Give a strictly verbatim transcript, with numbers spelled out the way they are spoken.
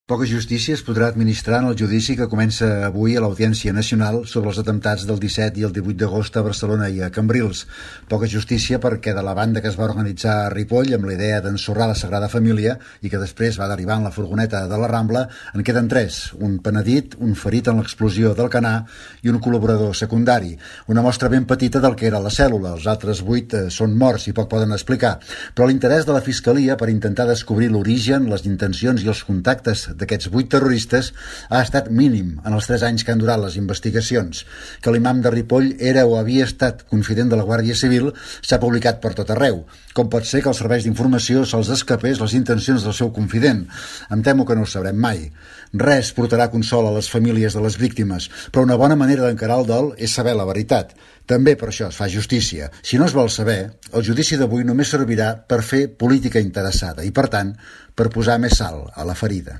Poca justícia es podrà administrar en el judici que comença avui a l'Audiència Nacional sobre els atemptats del disset i el divuit d'agost a Barcelona i a Cambrils. Poca justícia perquè de la banda que es va organitzar a Ripoll amb la idea d'ensorrar la Sagrada Família i que després va derivar en la furgoneta de la Rambla, en queden tres, un penedit, un ferit en l'explosió del Canà i un col·laborador secundari. Una mostra ben petita del que era la cèl·lula, els altres vuit eh, són morts i poc poden explicar. Però l'interès de la Fiscalia per intentar descobrir l'origen, les intencions i els contactes d'aquests vuit terroristes ha estat mínim en els tres anys que han durat les investigacions. Que l'imam de Ripoll era o havia estat confident de la Guàrdia Civil s'ha publicat per tot arreu. Com pot ser que als serveis d'informació se'ls escapés les intencions del seu confident? Em temo que no ho sabrem mai. Res portarà consol a les famílies de les víctimes, però una bona manera d'encarar el dol és saber la veritat. També per això es fa justícia. Si no es vol saber, el judici d'avui només servirà per fer política interessada i, per tant, per posar més sal a la ferida.